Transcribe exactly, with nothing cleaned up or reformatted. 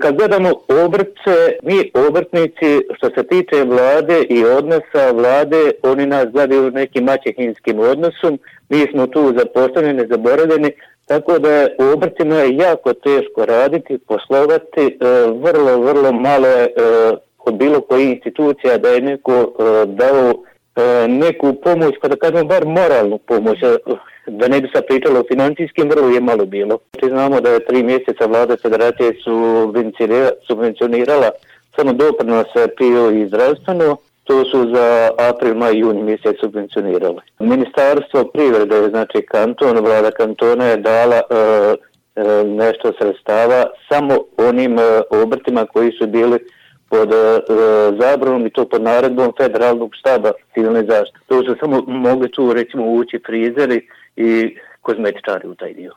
Kad gledamo obrtce, mi obrtnici, što se tiče vlade i odnosa vlade, oni nas gledaju nekim maćehinskim odnosom, mi smo tu zapostavljeni, zaboravljeni, tako da je u obrtima jako teško raditi, poslovati, vrlo, vrlo malo je od bilo koje institucija da je neko dao neku pomoć, kada kažemo bar moralnu pomoć, da ne bi sad pričalo o financijskim, vrlo je malo bilo. Znamo da je tri mjeseca vlada federacije subvencionirala samo doprinose P I O i zdravstveno, to su za april, maj, juni mjesec subvencionirali. Ministarstvo privrede, znači kanton, vlada kantona je dala e, e, nešto sredstava samo onim e, obrtima koji su bili pod e, zabranom i to pod naredbom federalnog štaba civilne zaštite. To su samo mogli tu recimo ući frizeri i kozmetičari u taj dio.